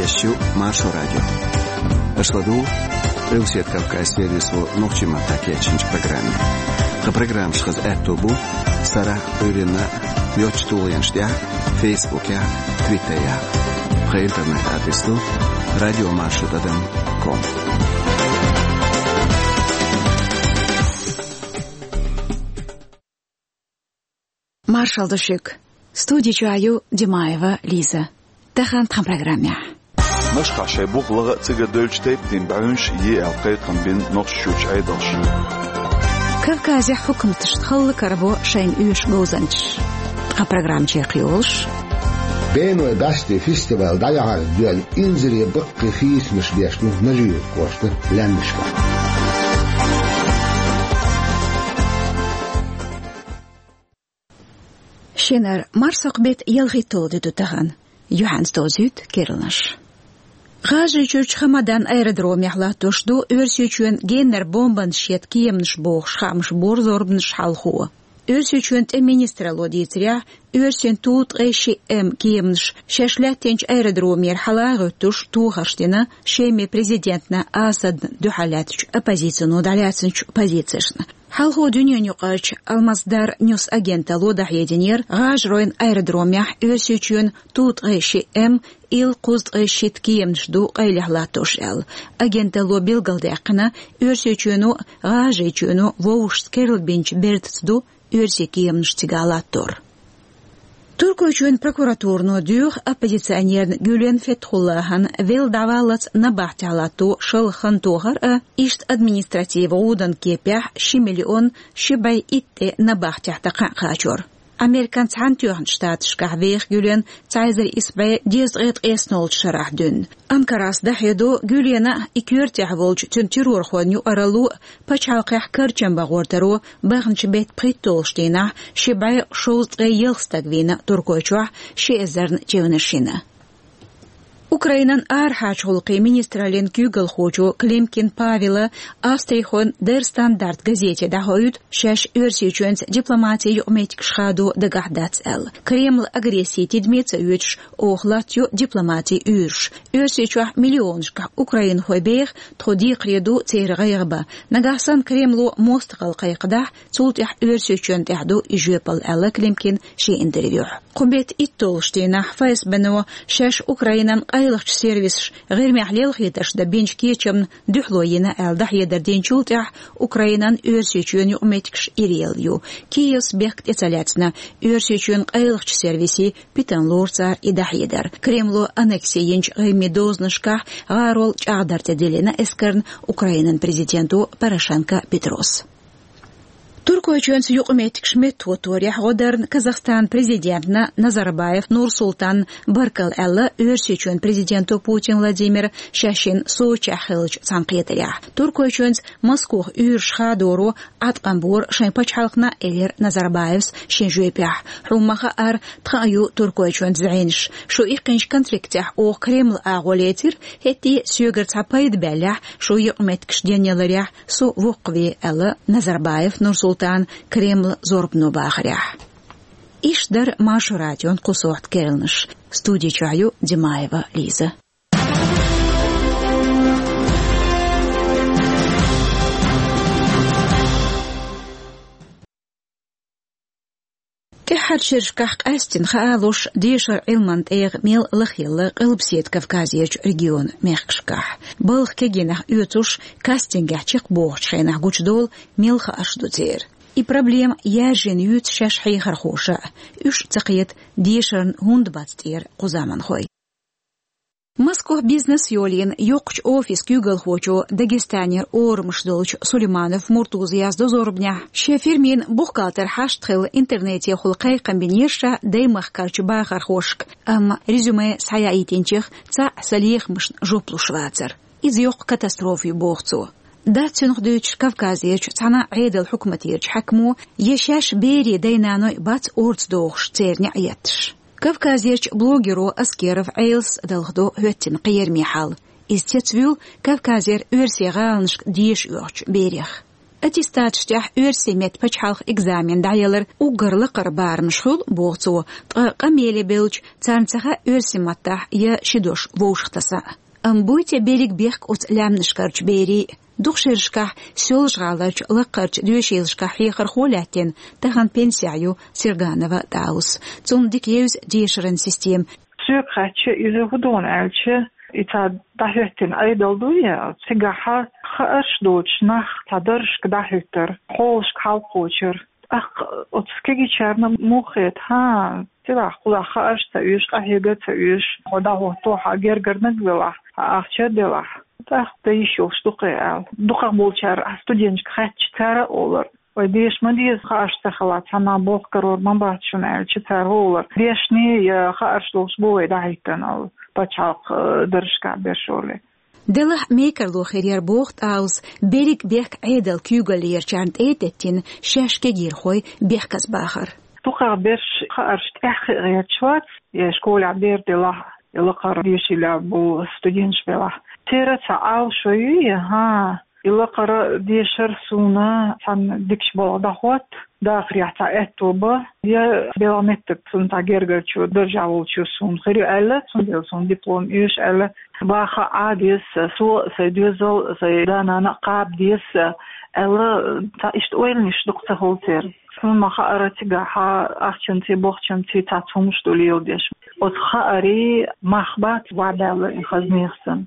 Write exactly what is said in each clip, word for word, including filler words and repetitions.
Эфирехь ю Маршо радио. Аша ладугӀу Къилбаседа Кавказан сервисо нохчийн маттахь кечйинчу программе. Тхан программаш хаза аьтто бу сарахь а, Ӏуьйранна а йоцачу тулгӀенаш тӀехь а, Фейсбукехь а, Твиттерехь а. Тхан интернет-адрес ду радио маршо тӀадам ком. Маршалла ду шуьга. Студи чохь ю Димаева Лиза. Тахана тхан программехь. Машкахь шайн бух лаха а, цига а девллачу тайпанийн бӀаьвнаш а е аьлла кхайкхам бина Нохчийчуьрчу Ӏедалша. Кавказехь хьукматашна халла карабо шайна оьшу говзанчаш. Тхан программа чекхйолуш. Беной бӀаьсте фестиваль дӀаяхьарца доьлла инзаре баккхий хийцамаш беш ду Нажи-Юрт кӀоштан лаьмнашкахь. Шинара марсхьокху беттан ялхитталгӀа де ду тахана. Юьхьанца довзуьйту керланаш. ГӀажарийчуьрчу Хамадан аэродромехь латтош ду Оьрсийчоьнан геннара бомбанаш ета кеманаш бохуш хаамаш бора зорбанаш хьалхо. Оьрсийчоьнан тӀеман министралло дийцарехь, оьрсийн Ту ткъе шиъ М кеманаш шаьш лаьттинчу аэродромера хьала а гӀуьттуш тохарш дина Шеман президентна Асадна дуьхьал лаьттачу оппозицино дӀалаьцначу позицешна. Хьалхо дуьненаюкъарчу Алмасдар Ньюс агенталло дӀахьединера, ГӀажаройн аэродромехь Оьрсийчоьнан Ту ткъе шиъ М, Ил кхузткъе шийтта кеманаш ду къайлаха латтош аьлла. Агенталло билгалдаьккхина, Оьрсийчоьно а, ГӀажарийчоьно а вовшашца керлабинчу бертаца ду оьрсийн кеманаш цига латтор. Туркойчоьнан прокуратурано доьху оппозиционерна Гюлен Фетхуллахьан велла дӀаваллалц набахтехь латто шалха хан тохар а, иштта административан гӀуданан кепехь ши миллион ши бӀе итт тӀе набахтехь дан кхаьа кхачор. Американ Цхьаьнатоьхначу Штаташкахь веха Гюлен цхьа эзар исс бӀе дезткъе ткъайоьсналгӀачу шарахь дуьйна. Анкарас дӀахьедо, Гюлена а, и коьртехь волчу цуьнан террорхойн юкъаралло а пачхьалкхехь карчам бан гӀортаро баханчу беттан пхийтталгӀачу дийнахь ши бӀе шовзткъе ялх стаг вийна Туркойчохь ши эзарна чевнаш йина. Украинан арахьарчу гӀуллакхийн министраллин куьйгалхочо Климкин Павела австрихойн Der Standard газете дӀахоуьйту, шаьш Оьрсийчоьнца дипломатин юкъаметтигаш хадо дагахь дац аьлла. Кремлан агресси тидаме а ца оьцуш, оха латтайо дипломатин уьйраш. Оьрсийчохь миллионашкахь украинхой беха, тхо декхаре ду церан гӀайгӀа бан. Нагахь санна Кремло мостагӀалла кхайкхадахь, цул тӀаьхьа Оьрсийчоьнна тӀехь ду и жоьпалла, аьлла Климкина шен интервьюхь. Кху беттан итталгӀачу дийнахь ФСБ-но шаьш Украинан къайлахчу сервисаша ГӀирмехь лелхийтарш дан бинчу кечамна дуьхьало йина аьлла дӀахьедар динчул тӀаьхьа Украинан Оьрсийчоьнан юкъаметтигаш ирелла ю. Киевс бехк тӀе ца лаьцна, Оьрсийчоьнан къайлахчу сервисийн питана лору цара и дӀахьедар. Кремло аннекси йинчу Къимин дозанашкахь гӀарол чӀагӀдар тӀе диллина эскарна Украинан президенто Порошенко Петрос. Туркойчоьнца юкъаметтигаш меттахӀотторехь гӀо дарна Казахстанан президентна Назарбаев Нурсултанна баркалла аьлла Оьрсийчоьнан президенто Путин Владимира шаьш йина Сочехь хиллачу цхьаьнакхетарехь. Туркойчоьнца Москох уьйраш хадоро Ӏаткъам бора шайн пачхьалкхана, элира Назарбаевс шен жоьпехь. Хьуна ма-хаъара, тхан а ю Туркойчоьнца зӀенаш. Шу иккхинчу конфликтехь оха Кремлан агӀо лецира, хӀетте а соьгара цхьа пайда баьллехь, шун юкъаметтигаш денъяларехь, со воккхаве, аьлла Назарбаев Нурсултана Кремлан зорбано бахарехь. Иштта дара Маршо радион кху сохьта керланаш. Студи чохь ю Димаева Лиза. ТӀаьххьарчу шерашкахь къаьсттина хаалуш, дешаран Ӏилманан тӀегӀа мел лахъелла Къилбаседа Кавказерчу регионан мехкашкахь. Балха кегийнах оьцуш, кастингехь чекхбохучу хенахь гучудолу мел хаарш ду церан. И проблема яьржина юьйцу шаьш хьехархоша а, уьш а ца кхета дешарна хӀунда бац тӀера кху заманхой. Москох бизнес йолийна йоккхачу офисан куьйгалхочо, Дагестанера орамаш долчу Сулейманов Муртузас яздо зорбанехь, шен фирмин бухгалтер хьашт хилла интернетехула кхайкхам бинера ша даймахкарчу бахархошка, амма резюме схьаяийтинчех цхьаъ сан лехамашна жоп луш вацара. Иза йоккха катастрофа ю, боху цо. Дац цунах дуьйцуш Кавказерчу цхьана а Ӏедалан хьукматерчу хьаькамо, я шаьш берийн дай-наной бац орца дохуш церан неӀ етташ. Кавказерчу блогеро Аскеров Ӏелас далхадо хӀоьттина кхерамийн хьал. Иза цецвуьйлу Кавказера оьрсийн гӀаланашка деша оьхучу берех. Аттестаташ тӀехь оьрсийн меттан пачхьалкхан экзамен дӀаялар уггар лакхара барамаш хуьлу, боху цо, ткъа къамеле бевлча, царна ца хаьа оьрсийн маттахь я ши дош вовшахтасан. Амма буй те берриг бехк оцу лаьмнашкарчу берийн? Дукха шерашкахь Соьлжа-ГӀаларчу лакхарчу доьшийлашкахь хьехархо лаьттина, тахана пенсехь ю Серганова ТӀаус. Цунна дика евза дешаран система. Соьга хаьттича, иза хӀун ду аьлча, и цхьа дӀахӀоьттина Ӏедал дуй, цигахь хаарш доцуш нах цхьа даржашка дӀахӀуьттура, хьолашка хьалакхочура. ТӀаккха оцу кегийчарна муха хета, хӀа, цигахь кхузахь хаарш ца оьшу, къахьега ца оьшу, хьо дӀахӀоттахь, хьан гергарниг велахь, хьан ахча а делахь. ТӀаккха дан йиш йолуш ду-кх и аьлла. Дукхахболчара студенташка хаьттича, цара а олура: «Вай, деша ма деза, хаарш ца хилахь, цхьанна болх карор ма бац шуна», аьлча, цара олура: «Дешнаш я хаарш долуш бу вай дӀахӀиттина», аьлла, пачхьалкхан, э, даржашкахь берш олий. Делахь мекарло хир яра, боху ТӀаус, берриг бехк Ӏедалан куьйгаллерачарна тӀе а теттина, шаьш кегийрхой бехказбахар. Дукхах берш хаарш тӀехь хи гӀерташ вац, я школехь бер делахь, я лакхара доьшийлахь болу студенташ белахь. Церан цхьа Ӏалашо ю, я, хӀа, и лакхара дешар суна цхьана дикачу балхах дӀахӀотта, дахарехь цхьа аьтто бан, я белхан меттиг суна цхьа гергарчо, даржехь волчо суна хир ю аьлла, цундела суна диплом оьшу аьлла, баха Ӏа деза, со а, сайн доьзал а, сайн да-нана а кхаба деза аьлла, цхьа иштта ойланаш дукха ца хуьлу церан. Суна ма хаара, цигахь ахчанций, бохчанций цхьацца хӀумнаш ду леладеш. Оцу хаарийн мах бац ваьбаьлла и хаза нехан санна.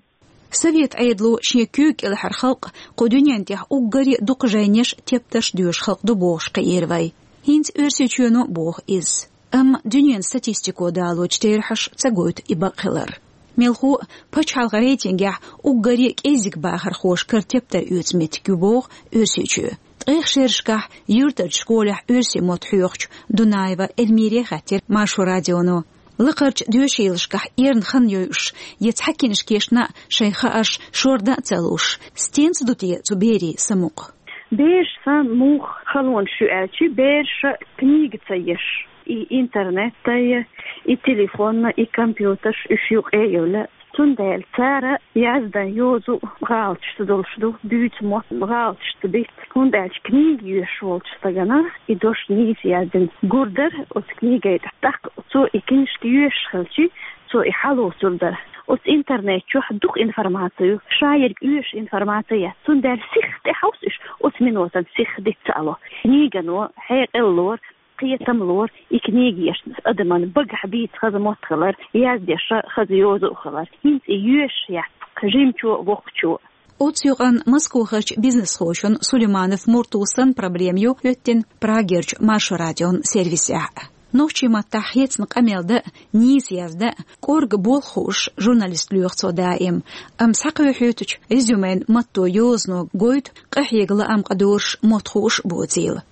Совет Ӏедало шен куьйга кӀелхьара халкъ кху дуьнен тӀехь уггаре а дукха жайнеш, тептарш доьшу халкъ ду бохуш кхиира вай. ХӀинца Оьрсийчоьно боху иза. Амма дуьненан статистико далочу терахьаша ца гойту и бакъ хилар. Мелхо а, пачхьалкхан рейтингехь уггаре а кӀеззиг бахархоша кара тептар оьцу меттиг ю боху Оьрсийчоь. Ткъех шерашкахь юьртарчу школехь оьрсийн мотт хьоьхучу Дунаева Эльмире хаьттира Маршо радионо. Лакхарчу доьшийлашкахь эрна хан йойуш я цхьа кинашкешна а шайн хаарш шордан а ца луш, стенца ду те цу берийн самукъа? Бераш сан муха халонаш ю аьлча, бераша книга ца еш, и интернетта я, и телефонна, и компьютерш уьш юкъе а йевлла. Цундела цара яздан йозу гӀалаташ ца долуш ду, дуьйцу мотт гӀалаташ ца дита, хӀунда аьлча книга йоьшуш волчу стагана и дош нийса яздина гур дара оцу книгай тӀехь. ТӀаккха цо и кинашка йоьшуш хилча, цо и хьалоцур дара. Оцу интернет чохь дукха информаци ю, ша ерг оьшуш информаци яц, цундела сихха тӀехьовса уьш, оцу минотан сихха диц ца ало. Книгано хьекъал лора, кхетам лора, и книга еш адаман багахь бийца хаза мотт хилар, яздеш хаза йоза а хилар. ХӀинца и йоьшуш яц жимачо а, воккхачо а. Оцу юкъанна Москвахарчу бизнесхочун Сулейманов Муртусан проблема ю хӀоьттина Прагерчу Маршо радион сервисехь. Нохчийн маттахь хецна къамел дан а, нийса яздан а кӀорга болх хууш журналист лоьху цо даим, амма схьакхоьхьуьйтучу резюмен матто йозано гойту къахьега лаам къадоруш мотт хууш боцийла.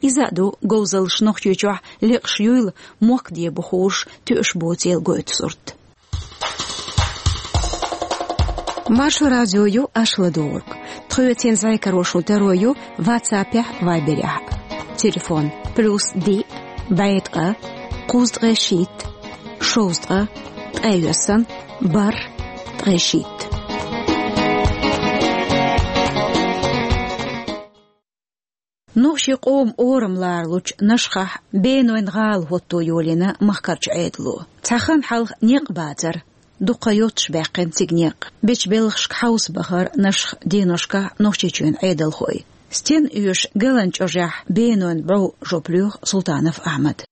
Иза а ду говзаллаш Нохчийчохь лекъаш юйла мохк дебу хууш тоьуш боцийла гойту сурт. Маршо радио ю аша ладугӀург. Тхоьца зӀе каро шун таро ю WhatsApp-ехь, Viber-ехь. Телефон: плюс диъ, бӀе ткъа, кхузткъе шийтта, шовзткъа, ткъе йоьссан, бархӀ, ткъе шийтта. Нохчийн къоман орам ларалучу Нашхахь бенойн гӀала хӀотто йолийна махкарчу Ӏедало. Цхьа хан хьалха некъ бацара. Дукха йоццуш баьккхина цига некъ. Бечу белхашка хьовса бахара Нашха деношкахь Нохчийчоьнан Ӏедалхой. Стенна оьшу Галан чӀожехь бенойн бӀов, жоп лоьху Султанов Ахьмада.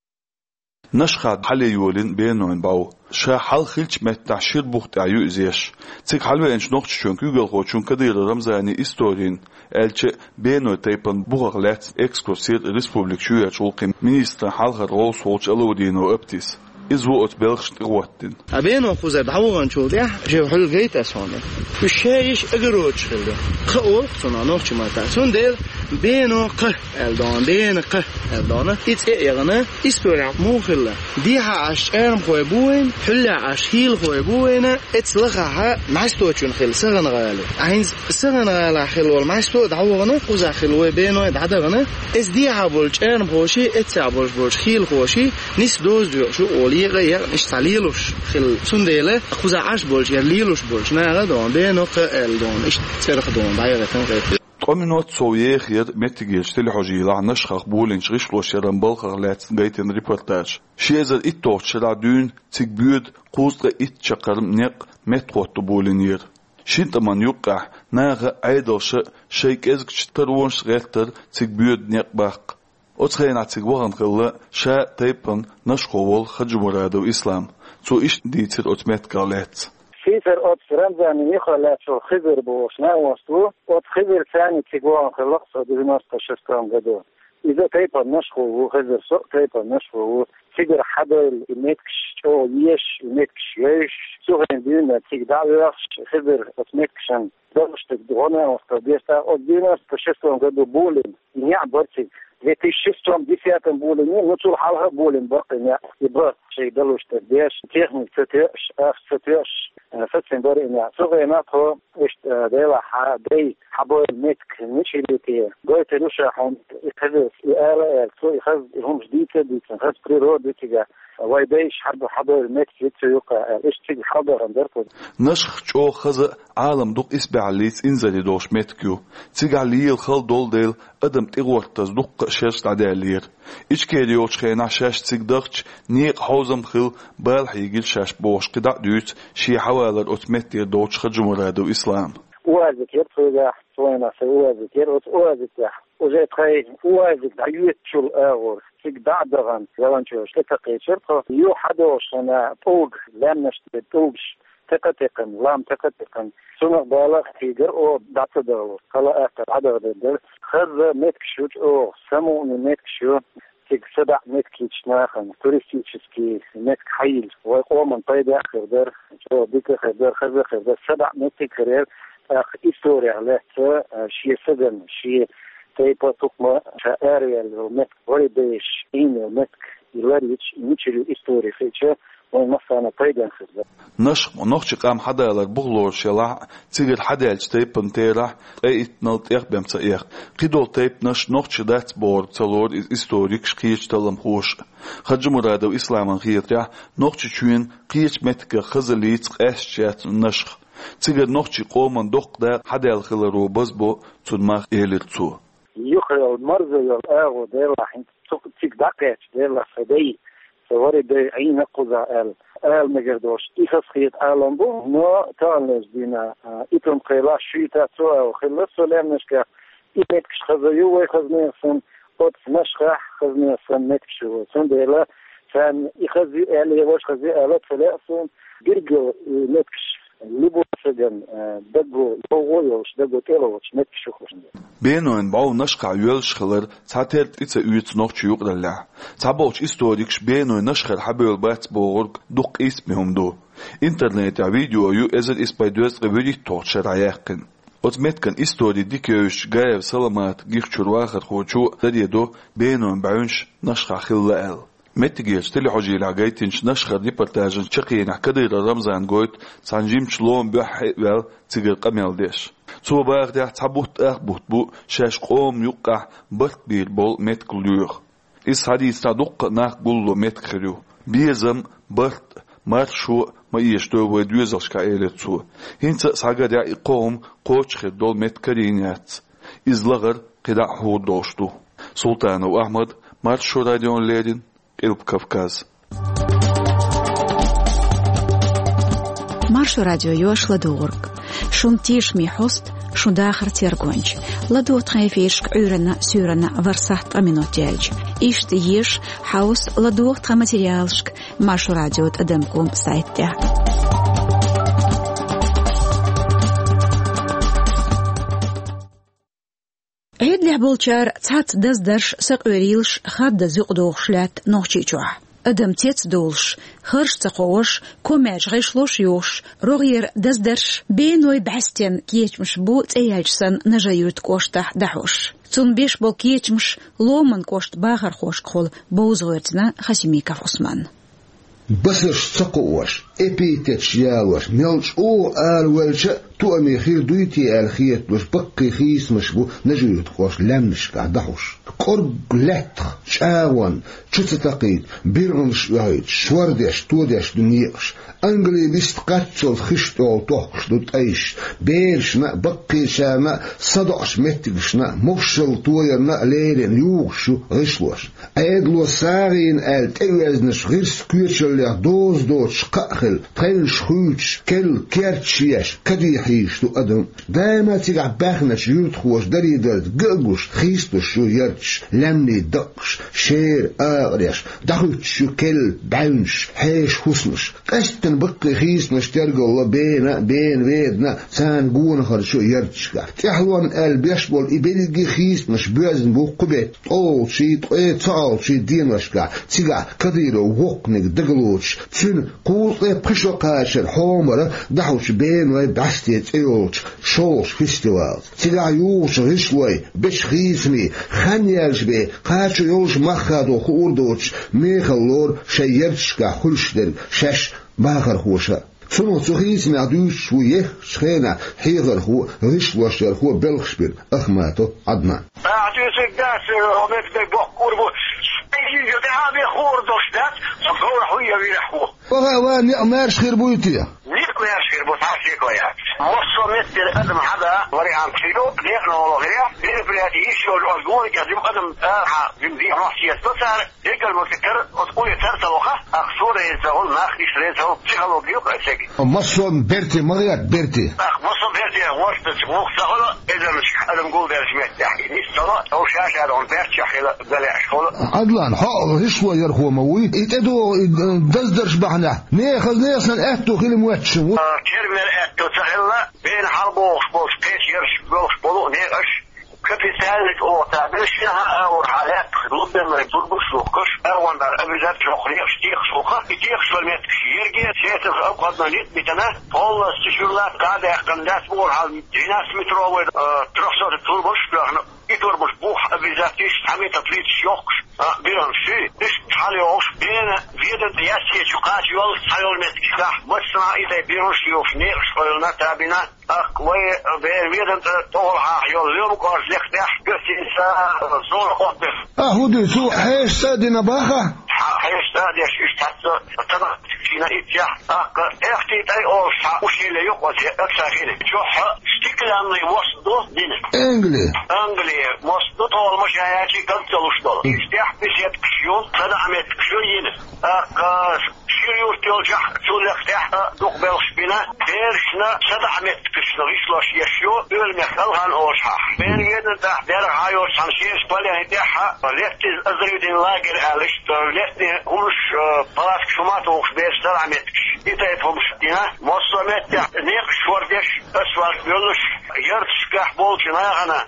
Нашха хьале йолийна бенойн бӀов. Ша хьалха хиллачу меттехь шира бух тӀехь ю иза еш. Цига хьалавеанчу Нохчийчоьнан куьйгалхочунна Кадыров Рамзанна историна, аьлча а, бенойн тайпана бухах лаьцна экскурс йира республикан чоьхьарчу гӀуллакхийн министран хьалхара гӀовс волчу Алаудинов Аптис. Иза ву оцу белхашна тӀехӀоттийна. А бено кхузара дӀаваханчул тӀаьхьа, жев хьуьлла гайта ас хьуна. Уьш шаьш огородаш хилла. Кха олу-кх цунах нохчийн маттахь. Цундела бено кха аьлла дона, бена кха аьлла дона. И цӀе а яхана, исторехь муха хилла. Дехьа Ӏаш чӀармхой бу вайна, хьуьллехь Ӏаш хийлахой бу вайна, эцца лахахь Маьсточунна хилла СагӀан-ГӀала. ХӀинца СагӀан-ГӀалахь хилла волу Маьсто а дӀавахана, кхузахь хилла вай беной дӀадахана. Эцца дехьа болчу чӀармхоший, эццехь болуш болчу хийлахоший нисса доза доькъуш ю олу, екъа а екъна, иштта цхьа лелош хилла. Цундела кхузахь Ӏаш болчу, я лелош болчу наха а дона бено кха аьлла дона, иштта цӀерах дона дӀаяхийтина кхетта. Ткъа минот сов ехар меттигерчу телехьожийлахь Нашхах болийначу гӀишлош яран балхах лаьцна гайтина репортаж. Ши эзар итталгӀачу шарахь дуьйна цига боьду кхузткъе итт чаккхарма некъ меттахӀотто болийнера. Шина тӀаман юккъехь наха а, Ӏедалша а шайн кӀезгачу таронашца гӀертара цига боьду некъ баккха. Оцу хенахь цига вахана хилла ша тайпана Нашхо волу Хаджимурадов Ислам. Цо иштта дийцира оцу меттигах лаьцна. Сийсара оцу Рамзанан юххе лаьцна Хизир бохуш накъост ву. Оцу Хизирца цига вахана хилла-кх со девяносто шестом году. Иза тайпана Нашхо ву, Хизир, со а тайпана Нашхо ву. Цигара хьадевлла и меттигаш чӀогӀа езаш, и меттигаш йовзуш, цу хенахь дуьйна цига дӀа а воьхуш, Хизир оцу меттигашна далуш дерг гӀо-накъостал деш, тӀаккха оцу девяносто шестом году болийна и некъ бара цига. Две тысячи шестом, десятом болийнера, ну, цул хьалха а болийна бара-кх и некъ. И бан шайга далуш дерг деш, техника ца тоьуш, ахча ца тоьуш, э, сацийна бара и некъ. Цу хенахь тхо иштта, э, делахь, хьан дай хьабевлла меттиг мичара ю те? Гойтур ю ша хьуна и Хизира, и ала а аьлла, цо и хаза, и хӀумаш дийца а дийцина, хаза природа ю цигахь. Вайн дайша хьаб-, хьабевлла меттиг ю цу юккъехь аьлла, иштта цига хьалдахана дара тхо. Нашх чӀогӀа хаза а, Ӏалам дукха исбаьхьаллица инзаре долуш меттиг ю. Цигахь лела хала долу дела, адам тӀегӀортаза дуккха а шераш дӀадаьллера. Ичкери йолчу хенахь шаьш цига дахча, некъан хьовзам хилла бала хьийгира шаьш бохуш, кхидӀа а дуьйцу шен хьавалар оцу меттера долчу Хаджимурадов Ислама. УАЗик яра тхоьгахь, тхоьгахь сан УАЗик яра, оцу УАЗикехь уже тхайн УАЗик дӀайоьттучул агӀор цига дӀа а дахана, волонтераш тӀе ца кхечира тхо. Юха хьадогӀуш санна, тӀулг, лаьмнаш тӀе тӀулгаш текха а текхна, лам текха а текхна, цунах бала а хьийгара, оха дӀа ца дахалур, хала а, атта дӀадахадер дара. Хаза меттигаш ю чӀогӀа, самукъане меттигаш ю. Цига садаӀа меттиг йитича нахана, туристический меттиг хьайилча, вайн къоман пайда а хир дара, чӀогӀа дика а хир дара, хаза а хир дара, садаӀа меттиг а хир яра, тӀаккха историх лаьцна, а, шен сагана, шен тайпа, тукхама, ша араваьлла йолу меттиг, ворхӀе дайша Ӏийна йолу меттиг, и лар йитича, и мичара ю истори хиъча, вайн массарна пайденна хир дара. Нашх нохчийн къам хьадалар бух лоруш елахь а, цигара хьадаьллачу тайпанан терахь ткъе иттанал тӀех бен ца эха. Кхидолу тайпанаш нохчий дац бохург ца лору иза историкаш, кхечу талламхоша а. Хаджимурадов Исламан хетарехь, Нохчийчоьнан кхечу меттигах хазаллица къаьсташ яц Нашх. Цигара нохчийн къоман доккха дакъа хьадаьлла хиларо базбо цуьнан мах, элира цо. Юха йолу марзо йолу агӀо делахь, хӀинца цу цига дӀакхаьчча делахь, сан дай, сан ворхӀе дай Ӏийна кхузахь аьлла, ала мегар долуш, и хазахета Ӏалам бу, но таханлерчу дийнахь, а, и тӀом кхелахь шуьйта цу агӀор хилла со лаьмнашкахь, и меттигаш хаза ю вайн хазанех санна, оцу Нашхахь хазанех санна меттигаш ю вайн. Цундела царна и хаза ю аьлла, я важа хаза ю аьлла ца лаьа суна, билггал и меттигаш любой сагана, э, даго, йовхо а йолуш, даго тӀелоцуш меттигаш ю хӀара. Бенойн бӀов Нашхахь йоьллуш хилар цхьатерра тӀе ца оьцу нохчийн юкъараллехь. Цхьаболчу историкаша Беной Нашхара хьабевлла бац бохург дукха къийсаме хӀума ду. Интернетехь видео ю эзар исс бӀе дезткъе вуьрхӀитталгӀачу шарахь яьккхина. Оцу меттиган истори дика евзачу Гаев Саламата гихчуьра вахархочо даре до Бенойн бӀаьвнаш Нашхахь хилла аьлла. Меттигерчу телехьожийлахь гайтинчу Нашхара репортажан чаккхенехь Кадыров Рамзана гойту цхьана жимачу ломан буьххье а ваьлла цигара къамел деш. Цо бахарехь, цхьа бутт ах бутт бу шаьш къоман юккъехь барт бийр болу меттиг лоьху. Иза схьадийцинехь дуккха а нах гулло меттиг хир ю. Безам, барт, маршо ма эшадо вайн доьзалшкахь, элира цо. ХӀинца а схьагарехь, и кхо хӀума кхочуш хир долу меттиг карийна яц. Иза лахара кхидӀа а хьур долуш ду. Султанов Ахьмад, Маршо радиона леррина, Къилба Кавказ. Маршо радио ю аш ладугӀург. Шун тешаме хьоста, шун дахаран тергонча. ЛадогӀа тхан эфирашка Ӏуьйранна, суьйранна ворхӀ сахьт ткъа минот яьлча. Иштта еша, хьовса, ладогӀа тхан материалашка Маршо радио тӀадам ком сайта тӀехь. Ӏедалехь болчара цхьацца даздарш, сакъоьрилаш хаддаза юкъадохуш лаьтта Нохчийчохь. Адам цецдолуш, харш ца кховш, комаьрша гӀишлош йохуш, рогӀера даздарш, Бенойн бӀаьстенан кечамаш бу цӀе яьлча санна Нажи-Юьртан кӀоштахь дӀахьош. Цунна беш болу кечамаш Ломан кӀоштан бахархошкахула бовза гӀоьртина Хасимиков Ӏусманна. Басарш ца кхоош, эпитеташ ялош, мел чӀогӀа араваьлча а, Тоаме хир дуй те аьлла хеталуш баккхий хийцамаш бу Нажи-Юьртан кӀоштан лаьмнашкахь дӀахьуш. КӀоргга лаьттах, чӀагӀонна, чу ца такхийта, биргӀанаш оьхуьйтуш, шор деш, тодеш ду некъаш. Ангале бист кхаччалц хиш тӀехула тохкуш ду тӀайш. Берашна а, баккхийчарна а, садоӀучу меттигашна а, мовшшалла тоярна а леррина юхуш ю гӀишлош. Ӏедало сагӀийна аьлла тӀеоьзнаш гӀирс коьчаллех доза доцуш кхаъ хилла, тхевнаш хуьйцуш, керла керташ еш, каде хьийзаш ду адам. Даима цигахь баьхначу юьртахоша дарий-дарда ган а гуш, хийцалуш ю ярташ, лаьмнийн даккхаш, шера, акхареш, дӀахуьттуш ю керла, бӀаьвнаш, хьеша хӀусамаш. Къаьсттина баккхий хийцамаш тергалла бена а, бена ведана а, царна гонахарчу ярташкахь. ТӀаьхьалонна аьлла беш болу и берриге а хийцамаш боьзна бу кху беттан ткъолгӀачий, ткъе цхьалгӀачий деношкахь, цигахь Кадыровн воккханиг дагалоцуш, цуьнан кхузткъе пхи шо кхачаран хьомара дӀахьучу бенойн бӀаьстен цӀе йолчу шолгӀачу фестивалца. Цигахь юхучу гӀишлойн, бечу хийцамийн, хан яьллачу бен кхачо йолуш мах хадо хуур доцуш, мехала лору шайн ярташкахь хуьлуш дерг шаьш бахархоша. Цунах цу хийцамехь дуьйцуш ву еххачу хенахь хьехархо а, гӀишлошъярхо а белхаш бина Ахматов Ӏаднан. Ахьа дуьйцург дац, хьо меттиг боккхур бу. Сан йижа тӀаьхьа бен хуур долуш дац, со говрахь ву я вирахь ву. Ваха а ван некъ маьрша хир буй те? Некъ маьрша хир бу, цхьа а шеко яц. Массо а меттера адам хьада вариант хир ю, некъан волу хир яц, мероприяти йиш йолчу оцу гониг а жима адам арахьа жима дехьа мохь сецадо цара. Декъал ма ца тара, оцу къуе тара ца ваха, ах, суо реза ца хуьлу, нах иштта реза ца хуьлу, психологи ю-кх аса цига. Массо а берте ма гӀерта, берте. Ах, массо а берте гӀортачу гӀуллакх ца хуьлу, эзарнаш адам гулбеллачу меттехь, и низ ца ло, тов ша-ша дохна баьрччехь хила галаьаш хуьлу. Ӏадлан, хьо гӀишло ярхо ма вуй, и тӀедогӀу, и, э, даздарш бахьанехь, нехан хаза нехан санна аьтто хила моьттуш ву. А, кермер аьтто ца хилла, бена хьалабохуш болчу кхечу ярш болуш болу некъаш, капитальный оха ца бина, шен хьан а вара хьан лаьттах лубенлай турбаш а лухкаш, агӀондар обязательно хьокху некъаш техаш ву-кх, и техаш вара меттигаш ерге, сетах обходной ницкъ битина, полностью шуьрла дӀа а даьккхина дац, бохура хьал двенадцатиметровый, э, трёхсотый турбаш а тоьхна, и турбаш бух обязательно иштта цхьа метр плиташ йохкуш, а, биргӀанаш шуьй, иштта хьалайохуш, бена ведан тӀе яьссечу кхача йоллуш цхьа йолу меттигашкахь, массанхьа и тайпа биргӀанаш йохуш некъаш къевлина, табина. ТӀаккха вай бер ведан тӀе тӀехула хьаха йолу лоьма кӀоржа лекха тӀехь, гостиница, зона отдыха. А, хӀун дуьйцу, хьеша цӀа а дина баха? Хьа-, хьеша цӀа а деш, иштта хьаца, цадахчина иццехь, тӀаккха Эхти тӀай олуш цхьа ущелье ю-кх оцу, оцу хина. Чохь стеклянный мост ду дина. Англи. Англи мост ду, тхол машен яьлчий дог ца луш долу. Иштта тӀехь беседкаш ю, садаӀа меттигаш ю йина. ТӀаккха Шира юрт йолчохь цул лекха тӀехь а дукха белхаш бина, берашна садаӀа меттигашна гӀишлош еш ю, Оьлмех Талхан олуш хьаха. Бен ведан тӀехь дерриг хьан йолчу цхьана шераш пален тӀехь а, летний оздоровительный лагерь аьлла иштта, летний хӀумаш, э, палаткаш хӀума а тухуш бераш садаӀа меттигаш. И тайпа хӀумаш дина, массо а меттехь некъаш шор деш, асфальт йолуш, ярташкахь болчу нахана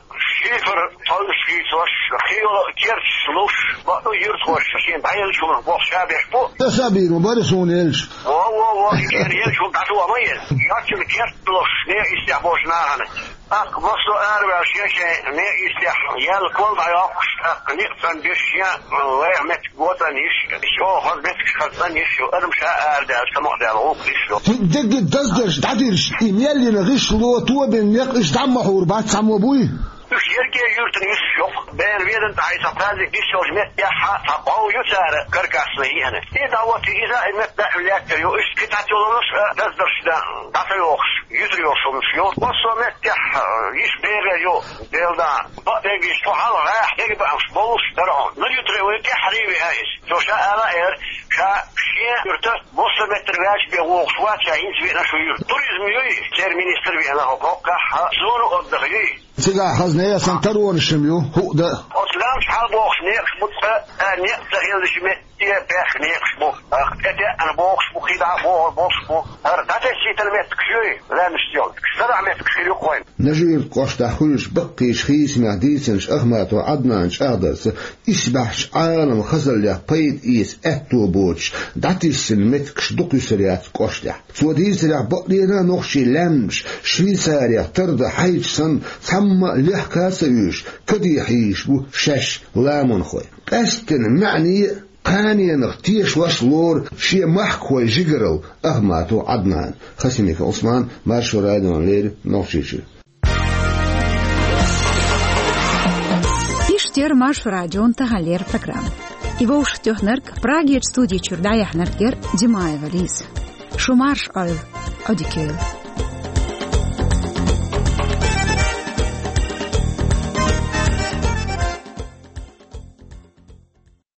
шифер тховнаш хийцош, кхин йолу керташ луш, бакъду юьртахоша шен дӀаеллачу хӀуманах боху ша беш бу. Аса а бийр ма бара суна елча. Во, во, во, и шена елча хӀума дӀатоха ма еза. Шаьччина керт луш, некъ йистехь болчу нахана. ТӀаккха массо а араваьлла шен-шен некъ йистехь, яьлла кол дӀайоккхуш, тӀаккха некъ цӀанбеш шен, э, лайх меттиг го цӀанйиш, чӀогӀа хаза меттигаш хаза цӀанйиш ю, адам ша арадаьлла, самукъадаьлла гӀуллакх деш ю. Дерриг даздеш, дӀадирш, и мел йина гӀишло, тобина некъ, иштта дӀа ма хьур бац цхьаммо буй? Уьш ерриге юьртана юьсуш ю-кх. Бен ведан тӀехь цхьа праздник йиш йолчу меттехь а цхьа бӀов ю цара каркасна йиъна. И дӀа вот иза а, и метта а лаьттар ю. Уьш кхин цхьа цулунаш а, даздарш дан дӀа ца йохуш, юьзур йолуш хӀуманаш ю. Массо а меттехь, а, йиш берар ю, Делан да. Бакъдерг иштта, хьалха гӀехь дерг баамаш болуш дара хьуна. Нажи-Юьртара вай тӀаьххьара веана иза. Цо ша ала эр, ша шен юьрта массо а меттара ваьлча бен вогӀуш вац, ша хӀинца веана шу юьрта. Туризм юй, церан министр веана хӀокху хӀоккхахь, а, зона отдыха юй. Цигахь хаза нехан санна таронаш ю, хӀуъа дан. Оцу лаьмнаш хьалабохуш некъаш бу цкъа, а, некъ ца хиллачу метте баьхна некъаш бу. Ах, тӀетеана бохуш бу, кхидӀа а бохур болуш бу. ХӀара дӀатесийтина меттигаш юй, лаьмнаш йолу. СадаӀа меттигаш хир ю-кх вайн. Нажи-Юьртан кӀоштахь хуьлучу баккхийчу хийцамехь дийцинчу Ахматов Ӏаднанан чӀагӀдарца, исбаьхьчу Ӏаламан хазаллех пайда эца аьтто боцуш, дӀатиссина меттигаш дукха юьсур яц кӀоштехь. Цо дийцарехь, бакъдерг а нохчийн лаьмнаш Швейцарех тардан хьайча санна, цхьамма а лехка а ца оьшуш, каде хьийзаш бу шаьш ламанхой. Къаьсттина маьӀне а, Кханенах тешалаш лору шен махкахой жигарал Ахматов Ӏаднан. Хасимиков Ӏусман, Маршо радиона леррина Нохчийчуьра. Иштта яра Маршо радион таханлера программа. И вовшахтоьхнарг, Прагерчу студи чуьра дӀаяьхьнарг яра Димаева Лиза. Шу марша Ӏойла, Ӏодика йойла.